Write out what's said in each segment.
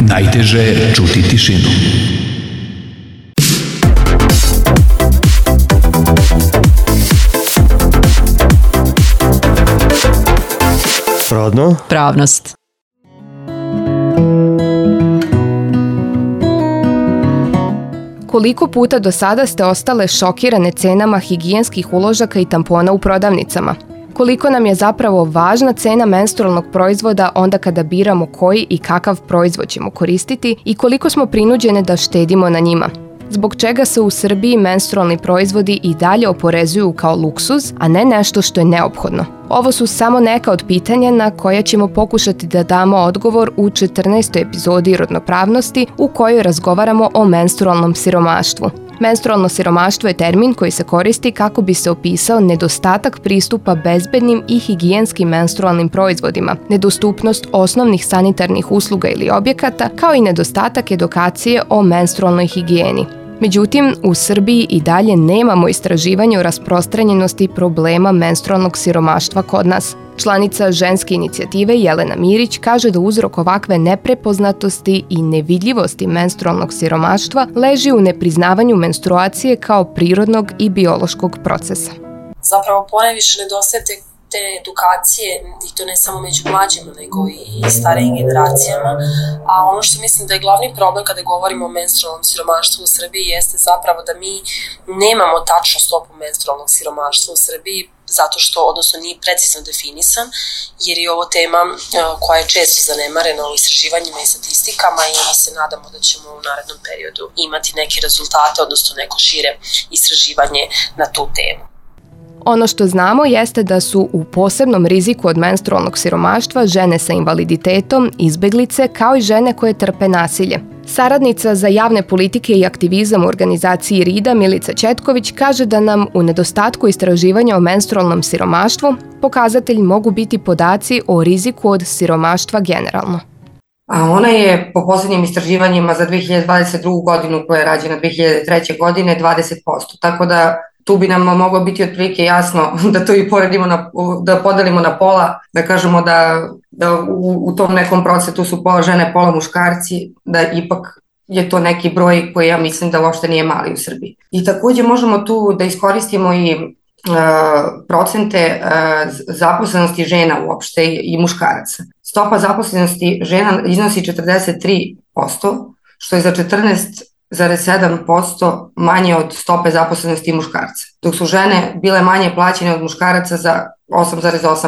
Najteže je čuti tišinu. Rodno? Pravnost. Koliko puta do sada ste ostale šokirane cenama higijenskih uložaka i tampona u prodavnicama? Koliko nam je zapravo važna cena menstrualnog proizvoda onda kada biramo koji i kakav proizvod ćemo koristiti i koliko smo prinuđene da štedimo na njima? Zbog čega se u Srbiji menstrualni proizvodi i dalje oporezuju kao luksuz, a ne nešto što je neophodno? Ovo su samo neka od pitanja na koja ćemo pokušati da damo odgovor u 14. epizodi Rodnopravnosti u kojoj razgovaramo o menstrualnom siromaštvu. Menstrualno siromaštvo je termin koji se koristi kako bi se opisao nedostatak pristupa bezbednim i higijenskim menstrualnim proizvodima, nedostupnost osnovnih sanitarnih usluga ili objekata, kao i nedostatak edukacije o menstrualnoj higijeni. Međutim, u Srbiji i dalje nemamo istraživanje o rasprostranjenosti problema menstrualnog siromaštva kod nas. Članica ženske inicijative Jelena Mirić kaže da uzrok ovakve neprepoznatosti i nevidljivosti menstrualnog siromaštva leži u nepriznavanju menstruacije kao prirodnog i biološkog procesa. Zapravo ponajviše nedostaje te edukacije, i to ne samo među mlađima, nego i starijim generacijama. A ono što mislim da je glavni problem kada govorimo o menstrualnom siromaštvu u Srbiji jeste zapravo da mi nemamo tačnu stopu menstrualnog siromaštva u Srbiji, zato što, odnosno, nije precizno definisan, jer je ovo tema koja je često zanemarena u istraživanjima i statistikama i mi se nadamo da ćemo u narednom periodu imati neke rezultate, odnosno neko šire istraživanje na tu temu. Ono što znamo jeste da su u posebnom riziku od menstrualnog siromaštva žene sa invaliditetom, izbeglice, kao i žene koje trpe nasilje. Saradnica za javne politike i aktivizam u organizaciji RIDA Milica Ćetković kaže da nam u nedostatku istraživanja o menstrualnom siromaštvu pokazatelji mogu biti podaci o riziku od siromaštva generalno. A ona je po poslednjim istraživanjima za 2022. godinu koja je rađena 2003. godine 20%, tako da tu bi nam moglo biti otprilike jasno da to i poredimo, da podelimo na pola, da kažemo da u tom nekom procentu su pola žene, pola muškarci, da ipak je to neki broj koji ja mislim da uopšte nije mali u Srbiji. I takođe možemo tu da iskoristimo i procente zaposlenosti žena uopšte i muškaraca. Stopa zaposlenosti žena iznosi 43%, što je za 14,7% manje od stope zaposlenosti muškarca, dok su žene bile manje plaćene od muškaraca za 8,8%.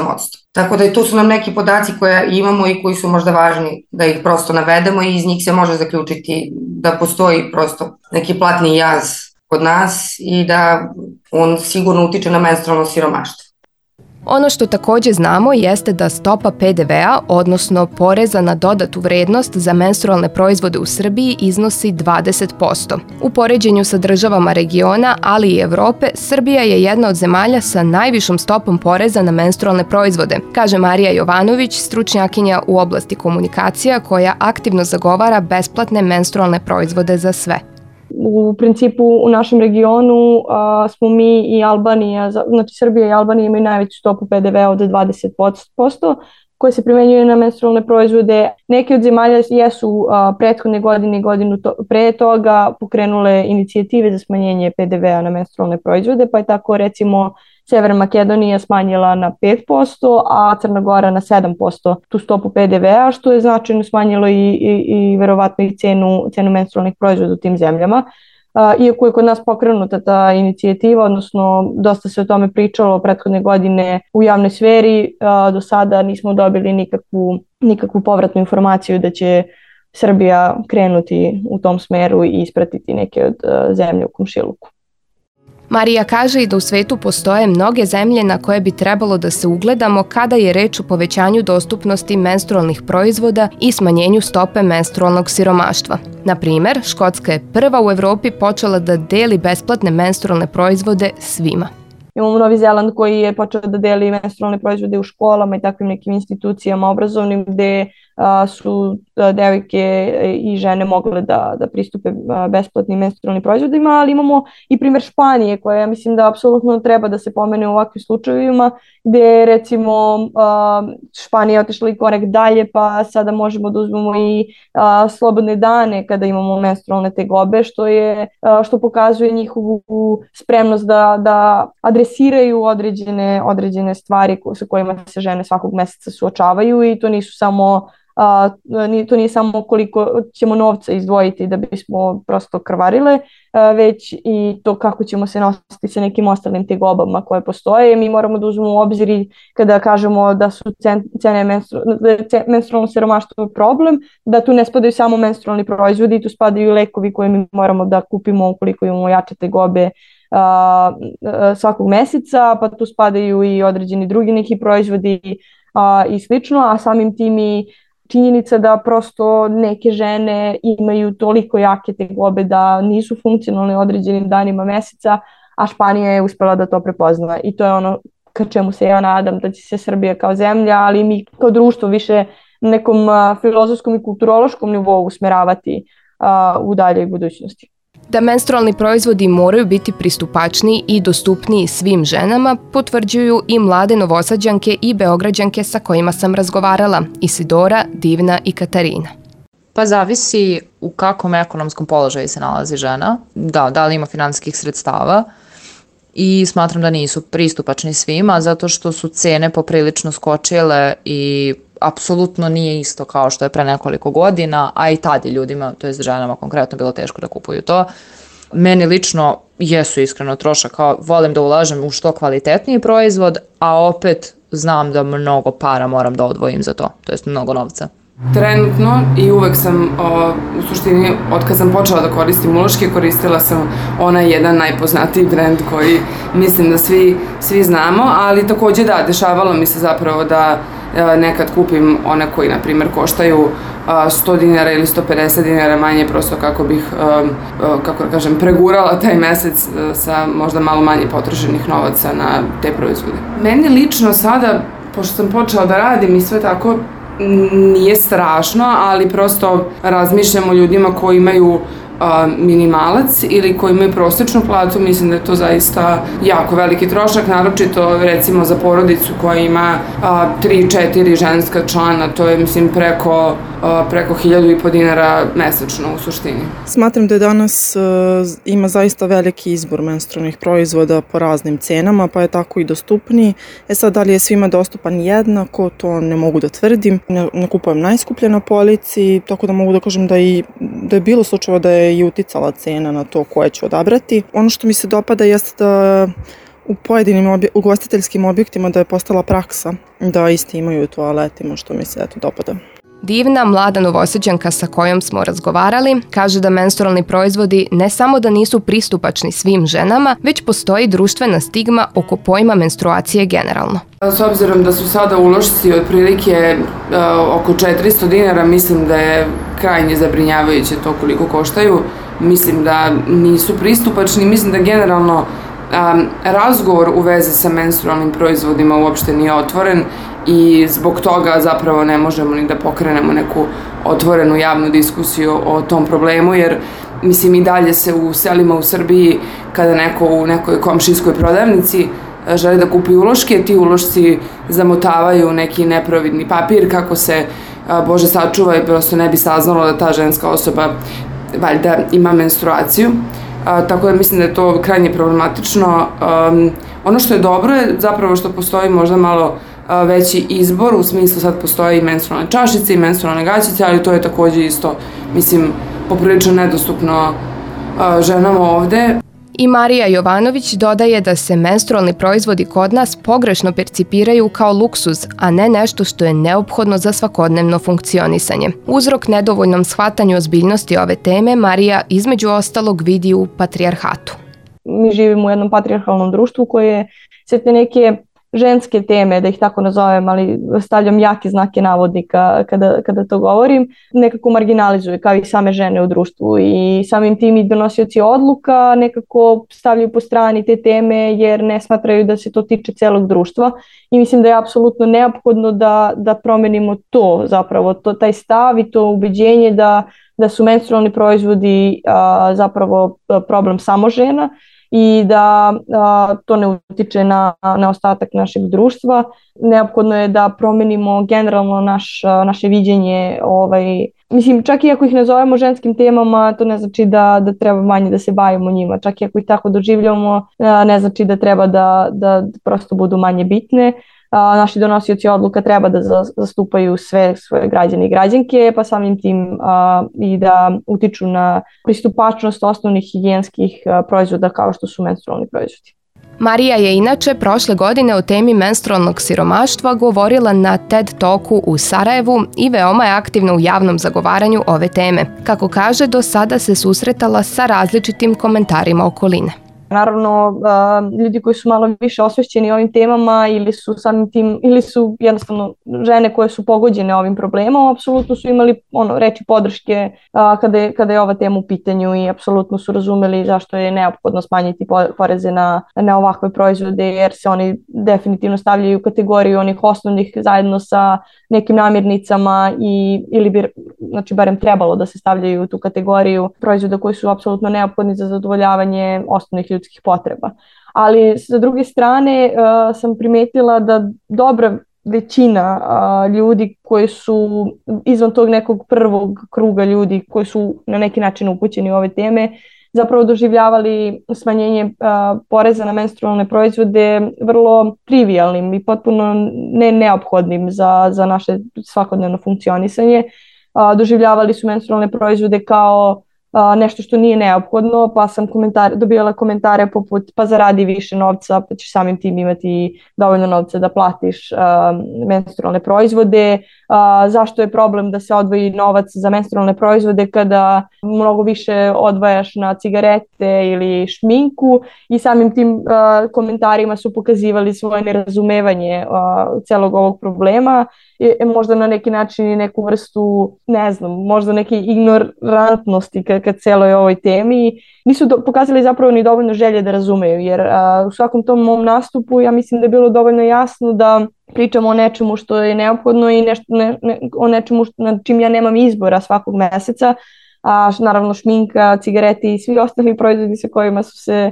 Tako da tu su nam neki podaci koje imamo i koji su možda važni da ih prosto navedemo i iz njih se može zaključiti da postoji prosto neki platni jaz kod nas i da on sigurno utiče na menstrualno siromaštvo. Ono što takođe znamo jeste da stopa PDV-a, odnosno poreza na dodatu vrednost za menstrualne proizvode u Srbiji iznosi 20%. U poređenju sa državama regiona, ali i Evrope, Srbija je jedna od zemalja sa najvišom stopom poreza na menstrualne proizvode, kaže Marija Jovanović, stručnjakinja u oblasti komunikacija koja aktivno zagovara besplatne menstrualne proizvode za sve. U principu u našem regionu smo mi i Albanija, znači Srbija i Albanija imaju najveću stopu PDV-a od 20%, koje se primenjuje na menstrualne proizvode. Neke od zemalja jesu prethodne godine i godinu pre toga pokrenule inicijative za smanjenje PDV-a na menstrualne proizvode, pa je tako recimo Severna Makedonija smanjila na 5%, a Crna Gora na 7% tu stopu PDV-a, što je značajno smanjilo i verovatno i cenu menstrualnih proizvoda u tim zemljama. Iako je kod nas pokrenuta ta inicijativa, odnosno dosta se o tome pričalo prethodne godine u javnoj sferi, do sada nismo dobili nikakvu povratnu informaciju da će Srbija krenuti u tom smeru i ispratiti neke od zemlje u komšiluku. Marija kaže i da u svetu postoje mnoge zemlje na koje bi trebalo da se ugledamo kada je reč o povećanju dostupnosti menstrualnih proizvoda i smanjenju stope menstrualnog siromaštva. Na primer, Škotska je prva u Evropi počela da deli besplatne menstrualne proizvode svima. Imamo Novi Zeland koji je počeo da deli menstrualne proizvode u školama i takvim nekim institucijama obrazovnim gde su devojke i žene mogle da pristupe besplatnim menstrualnim proizvodima, ali imamo i primjer Španije koja ja mislim da apsolutno treba da se pomene u ovakvim slučajevima, gde recimo Španija je otišla i korak dalje, pa sada možemo da uzmemo i slobodne dane kada imamo menstrualne tegobe, što pokazuje njihovu spremnost da adresiraju određene stvari sa kojima se žene svakog meseca suočavaju, i to nije samo koliko ćemo novca izdvojiti da bismo prosto krvarile, već i to kako ćemo se nositi sa nekim ostalim tegobama koje postoje. Mi moramo da uzmemo u obzir kada kažemo da su menstrualno siromaštvo problem, da tu ne spadaju samo menstrualni proizvodi, tu spadaju i lekovi koje mi moramo da kupimo ukoliko imamo jače tegobe svakog meseca, pa tu spadaju i određeni drugi neki proizvodi i slično, a samim tim i činjenica da prosto neke žene imaju toliko jake tegobe da nisu funkcionalne određenim danima meseca, a Španija je uspela da to prepozna, i to je ono ka čemu se ja nadam da će se Srbija kao zemlja, ali mi kao društvo više nekom filozofskom i kulturološkom nivou usmeravati u daljoj budućnosti. Da menstrualni proizvodi moraju biti pristupačniji i dostupniji svim ženama, potvrđuju i mlade Novosađanke i Beograđanke sa kojima sam razgovarala, Isidora, Divna i Katarina. Pa zavisi u kakvom ekonomskom položaju se nalazi žena, da li ima finansijskih sredstava, i smatram da nisu pristupačni svima zato što su cene poprilično skočile i apsolutno nije isto kao što je pre nekoliko godina, a i tad je ljudima, to je ženama konkretno, bilo teško da kupuju to. Meni lično jesu iskreno trošak, kao volim da ulažem u što kvalitetniji proizvod, a opet znam da mnogo para moram da odvojim za to jest mnogo novca. Trenutno i uvek sam, u suštini, od kad sam počela da koristim uloške, koristila sam onaj jedan najpoznatiji brend koji mislim da svi znamo, ali takođe dešavalo mi se zapravo da nekad kupim one koji, na primjer, koštaju 100 dinara ili 150 dinara manje, prosto kako bih, pregurala taj mesec sa možda malo manje potrošenih novaca na te proizvode. Meni lično sada, pošto sam počela da radim i sve tako, nije strašno, ali prosto razmišljam o ljudima koji imaju minimalac ili koji imaju prosečnu platu. Mislim da je to zaista jako veliki trošak, naročito recimo za porodicu koja ima 3-4 ženska člana, to je mislim preko 1.500 dinara mesečno u suštini. Smatram da danas ima zaista veliki izbor menstrualnih proizvoda po raznim cenama, pa je tako i dostupniji. Sad, da li je svima dostupan jednako, to ne mogu da tvrdim. Ne kupujem najskuplje na polici, tako da mogu da kažem da je bilo slučajeva da je i uticala cena na to koje ću odabrati. Ono što mi se dopada jeste da u pojedinim ugostiteljskim objektima da je postala praksa da isti imaju u toaletima, što mi se dopada. Divna, mlada Novosađanka sa kojom smo razgovarali, kaže da menstrualni proizvodi ne samo da nisu pristupačni svim ženama, već postoji društvena stigma oko pojma menstruacije generalno. S obzirom da su sada ulošci otprilike oko 400 dinara, mislim da je krajnje zabrinjavajuće to koliko koštaju. Mislim da nisu pristupačni, mislim da generalno razgovor u vezi sa menstrualnim proizvodima uopšte nije otvoren i zbog toga zapravo ne možemo ni da pokrenemo neku otvorenu javnu diskusiju o tom problemu, jer mislim i dalje se u selima u Srbiji kada neko u nekoj komšijskoj prodavnici želi da kupi uloške, ti ulošci zamotavaju neki neprovidni papir kako se, Bože sačuva, i prosto ne bi saznalo da ta ženska osoba valjda ima menstruaciju. Tako da mislim da je to krajnje problematično. Ono što je dobro je zapravo što postoji možda malo veći izbor, u smislu sad postoji i menstrualne čašice i menstrualne gaćice, ali to je takođe isto, mislim, poprilično nedostupno ženama ovde. I Marija Jovanović dodaje da se menstrualni proizvodi kod nas pogrešno percipiraju kao luksuz, a ne nešto što je neophodno za svakodnevno funkcionisanje. Uzrok nedovoljnom shvatanju ozbiljnosti ove teme Marija između ostalog vidi u patrijarhatu. Mi živimo u jednom patrijarhalnom društvu koje se te neke ženske teme, da ih tako nazovem, ali stavljam jake znake navodnika kada to govorim, nekako marginalizuju kao i same žene u društvu i samim tim i donosioci odluka nekako stavljaju po strani te teme jer ne smatraju da se to tiče celog društva i mislim da je apsolutno neophodno da promenimo to zapravo, taj stav i to ubeđenje da su menstrualni proizvodi zapravo problem samo žena i da to ne utiče na ostatak našeg društva. Neophodno je da promenimo generalno naše viđenje. Mislim, čak i ako ih nazovemo ženskim temama, to ne znači da treba manje da se bavimo njima. Čak i ako ih tako doživljamo, ne znači da treba da prosto budu manje bitne. Naši donosioci odluka treba da zastupaju sve svoje građane i građanke, pa samim tim i da utiču na pristupačnost osnovnih higijenskih proizvoda kao što su menstrualni proizvodi. Marija je inače prošle godine o temi menstrualnog siromaštva govorila na TED Talku u Sarajevu i veoma je aktivna u javnom zagovaranju ove teme. Kako kaže, do sada se susretala sa različitim komentarima okoline. Naravno, ljudi koji su malo više osvešćeni ovim temama ili su samim tim, ili su jednostavno žene koje su pogođene ovim problemom, apsolutno su imali reči podrške kada je ova tema u pitanju i apsolutno su razumeli zašto je neophodno smanjiti poreze na ovakve proizvode, jer se oni definitivno stavljaju u kategoriju onih osnovnih zajedno sa nekim namirnicama ili bi, znači, barem trebalo da se stavljaju u tu kategoriju proizvoda koji su apsolutno neophodni za zadovoljavanje osnovnih ljudskih potreba. Ali sa druge strane sam primetila da dobra većina ljudi koji su izvan tog nekog prvog kruga ljudi koji su na neki način upućeni u ove teme zapravo doživljavali smanjenje poreza na menstrualne proizvode vrlo trivialnim i potpuno neophodnim za naše svakodnevno funkcionisanje. Doživljavali su menstrualne proizvode kao nešto što nije neophodno, pa sam dobijala komentare poput pa zaradi više novca, pa ćeš samim tim imati dovoljno novca da platiš menstrualne proizvode, zašto je problem da se odvoji novac za menstrualne proizvode kada mnogo više odvajaš na cigarete ili šminku, i samim tim komentarima su pokazivali svoje nerazumevanje celog ovog problema, možda na neki način i neku vrstu, ne znam, možda neke ignorantnosti ka celoj ovoj temi. Nisu pokazali zapravo ni dovoljno želje da razumeju, jer u svakom tom mom nastupu ja mislim da je bilo dovoljno jasno da pričamo o nečemu što je neophodno i o nečemu na čim ja nemam izbora svakog meseca. Naravno šminka, cigareti i svi ostali proizvodi sa kojima su se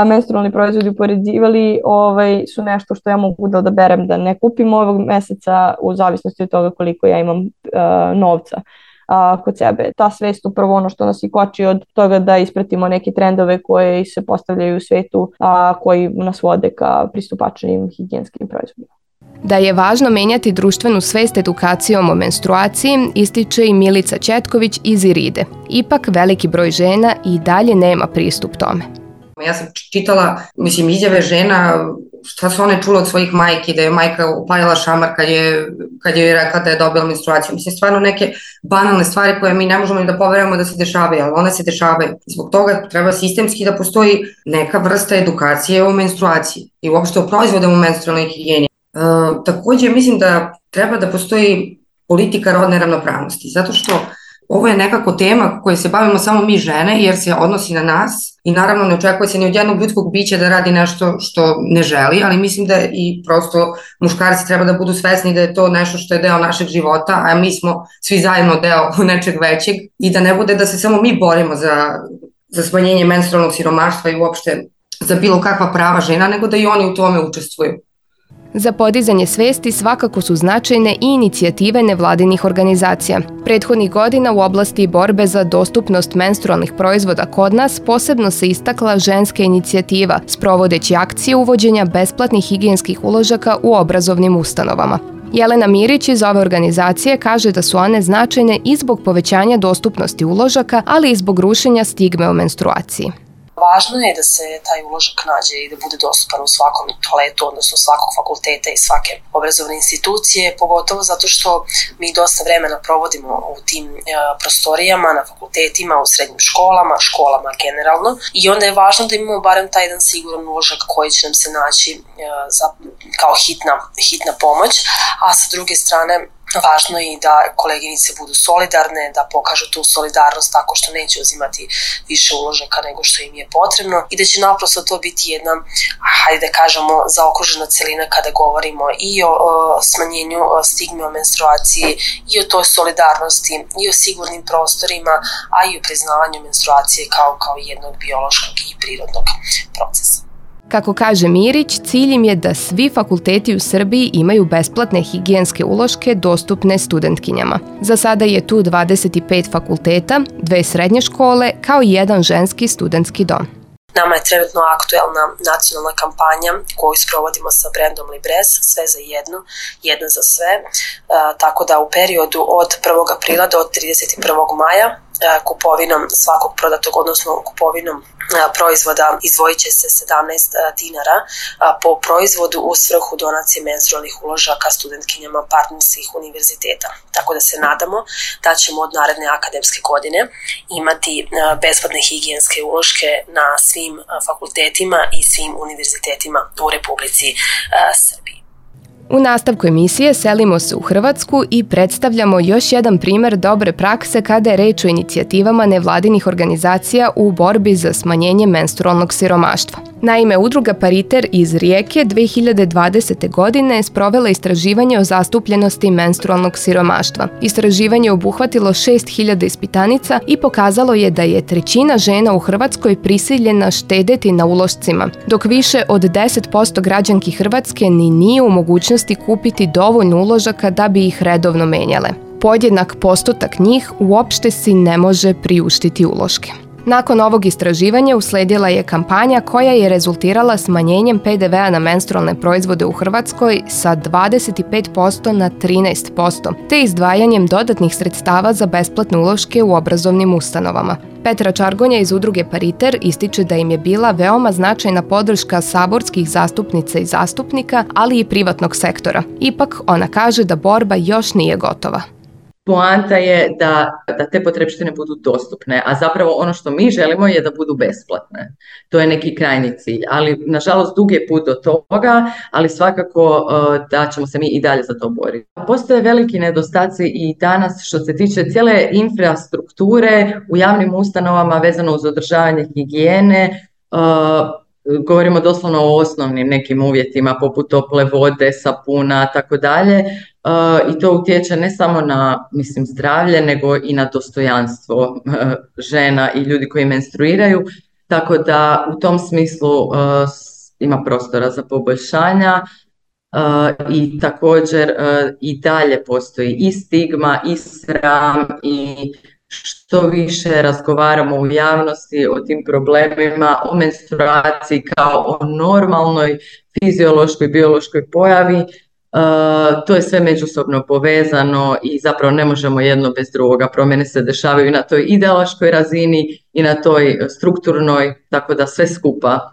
menstrualni proizvodi upoređivali su nešto što ja mogu da odaberem da ne kupim ovog meseca u zavisnosti od toga koliko ja imam novca kod sebe. Ta svest upravo ono što nas i koči od toga da ispratimo neke trendove koje se postavljaju u svetu, koji nas vode ka pristupačnim higijenskim proizvodima. Da je važno menjati društvenu svest edukacijom o menstruaciji, ističe i Milica Ćetković iz Iride. Ipak veliki broj žena i dalje nema pristup tome. Ja sam čitala, izjave žena, šta su one čule od svojih majki, da je majka upalila šamar kad je rekla da je dobila menstruaciju. Stvarno neke banalne stvari koje mi ne možemo ni da poverujemo da se dešavaju, ali one se dešavaju. Zbog toga treba sistemski da postoji neka vrsta edukacije o menstruaciji i uopšte o proizvodima u menstrualnoj higijeni. Takođe mislim da treba da postoji politika rodne ravnopravnosti, zato što ovo je nekako tema koje se bavimo samo mi žene, jer se odnosi na nas i naravno ne očekuje se ni od jednog ljudskog bića da radi nešto što ne želi, ali mislim da i prosto muškarci treba da budu svesni da je to nešto što je deo našeg života, a mi smo svi zajedno deo nečeg većeg, i da ne bude da se samo mi borimo za smanjenje menstrualnog siromaštva i uopšte za bilo kakva prava žena, nego da i oni u tome učestvuju. Za podizanje svesti svakako su značajne i inicijative nevladinih organizacija. Prethodnih godina u oblasti borbe za dostupnost menstrualnih proizvoda kod nas posebno se istakla ženska inicijativa, sprovodeći akcije uvođenja besplatnih higijenskih uložaka u obrazovnim ustanovama. Jelena Mirić iz ove organizacije kaže da su one značajne i zbog povećanja dostupnosti uložaka, ali i zbog rušenja stigme o menstruaciji. Važno je da se taj uložak nađe i da bude dostupan u svakom toaletu, odnosno svakog fakulteta i svake obrazovne institucije, pogotovo zato što mi dosta vremena provodimo u tim prostorijama, na fakultetima, u srednjim školama generalno, i onda je važno da imamo barem taj jedan siguran uložak koji će nam se naći kao hitna pomoć, a sa druge strane važno je i da koleginice budu solidarne, da pokažu tu solidarnost tako što neće uzimati više uložaka nego što im je potrebno i da će naprosto to biti jedna, hajde da kažemo, zaokružena celina kada govorimo i o smanjenju stigme o menstruaciji, i o toj solidarnosti, i o sigurnim prostorima, a i o priznavanju menstruacije kao jednog biološkog i prirodnog procesa. Kako kaže Mirić, cilj im je da svi fakulteti u Srbiji imaju besplatne higijenske uloške dostupne studentkinjama. Za sada je tu 25 fakulteta, 2 srednje škole, kao i jedan ženski studentski dom. Nama je trenutno aktuelna nacionalna kampanja koju sprovodimo sa brendom Librez, sve za jednu, jedna za sve, tako da u periodu od 1. aprila do 31. maja kupovinom svakog prodatog, odnosno kupovinom proizvoda izdvojit će se 17 dinara po proizvodu u svrhu donacije menstrualnih uložaka studentkinjama partnerskih univerziteta. Tako da se nadamo da ćemo od naredne akademske godine imati besplatne higijenske uloške na svim fakultetima i svim univerzitetima u Republici Srbiji. U nastavku emisije selimo se u Hrvatsku i predstavljamo još jedan primer dobre prakse kada je reč o inicijativama nevladinih organizacija u borbi za smanjenje menstrualnog siromaštva. Naime, udruga Pariter iz Rijeke 2020. godine sprovela istraživanje o zastupljenosti menstrualnog siromaštva. Istraživanje je obuhvatilo 6.000 ispitanica i pokazalo je da je 1/3 žena u Hrvatskoj prisiljena štedeti na ulošcima, dok više od 10% građanki Hrvatske ni nije u mogućnosti kupiti dovoljno uložaka da bi ih redovno menjale. Podjednak postotak njih uopšte si ne može priuštiti uloške. Nakon ovog istraživanja usledila je kampanja koja je rezultirala smanjenjem PDV-a na menstrualne proizvode u Hrvatskoj sa 25% na 13%, te izdvajanjem dodatnih sredstava za besplatne uloške u obrazovnim ustanovama. Petra Čargonja iz udruge Pariter ističe da im je bila veoma značajna podrška saborskih zastupnica i zastupnika, ali i privatnog sektora. Ipak, ona kaže da borba još nije gotova. Poanta je da te potrepštine budu dostupne, a zapravo ono što mi želimo je da budu besplatne. To je neki krajnji cilj, ali nažalost dug je put do toga, ali svakako da ćemo se mi i dalje za to boriti. Postoje veliki nedostaci i danas što se tiče cijele infrastrukture u javnim ustanovama vezano uz održavanje higijene. Govorimo doslovno o osnovnim nekim uvjetima poput tople vode, sapuna, tako dalje. I to utječe ne samo na, zdravlje, nego i na dostojanstvo žena i ljudi koji menstruiraju. Tako da u tom smislu ima prostora za poboljšanja i također i dalje postoji i stigma i sram i što više razgovaramo u javnosti o tim problemima, o menstruaciji kao o normalnoj fiziološkoj, biološkoj pojavi, to je sve međusobno povezano i zapravo ne možemo jedno bez drugoga. Promjene se dešavaju i na toj ideološkoj razini i na toj strukturnoj, tako da sve skupa.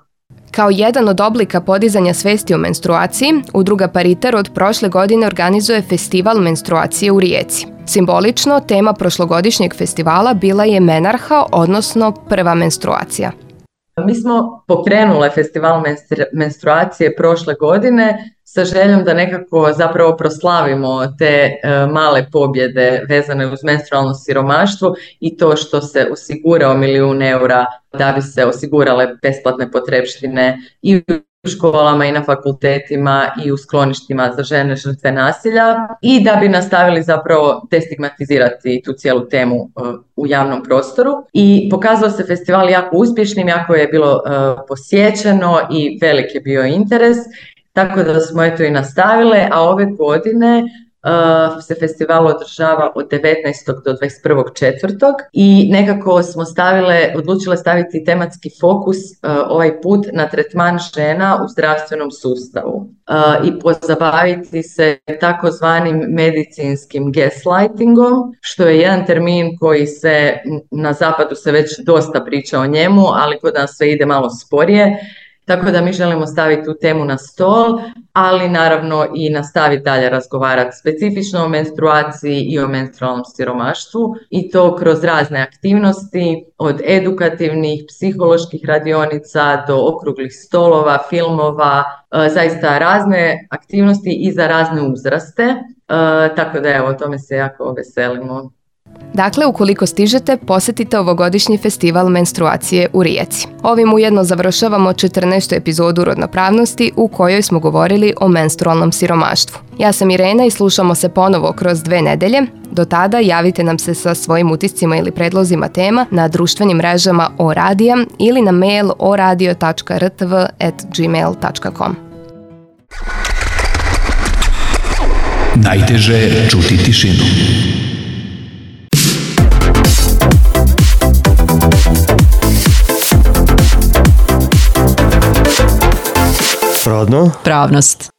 Kao jedan od oblika podizanja svesti o menstruaciji, udruga Pariter od prošle godine organizuje festival menstruacije u Rijeci. Simbolično, tema prošlogodišnjeg festivala bila je menarha, odnosno prva menstruacija. Mi smo pokrenule festival menstruacije prošle godine sa željom da nekako zapravo proslavimo te male pobjede vezane uz menstrualno siromaštvo i to što se osigurao 1 milijun eura da bi se osigurale besplatne potrepštine i u školama i na fakultetima i u skloništima za žene žrtve nasilja i da bi nastavili zapravo destigmatizirati tu cijelu temu u javnom prostoru. I pokazao se festival jako uspješnim, jako je bilo posjećeno i velik je bio interes. Tako da smo eto i nastavile, a ove godine se festival održava od 19. do 21.4. i nekako smo odlučile staviti tematski fokus ovaj put na tretman žena u zdravstvenom sustavu i pozabaviti se takozvanim medicinskim gaslightingom, što je jedan termin koji se na zapadu se već dosta priča o njemu, ali kod nas sve ide malo sporije. Tako da mi želimo staviti tu temu na stol, ali naravno i nastaviti dalje razgovarati specifično o menstruaciji i o menstrualnom siromaštvu i to kroz razne aktivnosti, od edukativnih, psiholoških radionica do okruglih stolova, filmova, zaista razne aktivnosti i za razne uzraste, tako da evo, o tome se jako veselimo. Dakle, ukoliko stižete, posjetite ovogodišnji festival menstruacije u Rijeci. Ovim ujedno završavamo 14. epizodu Rodnopravnosti u kojoj smo govorili o menstrualnom siromaštvu. Ja sam Irena i slušamo se ponovo kroz 2 nedelje. Do tada javite nam se sa svojim utiscima ili predlozima tema na društvenim mrežama ORadija ili na mail oradio.rtv@gmail.com. Najteže je čuti tišinu. Rodno. Pravnost.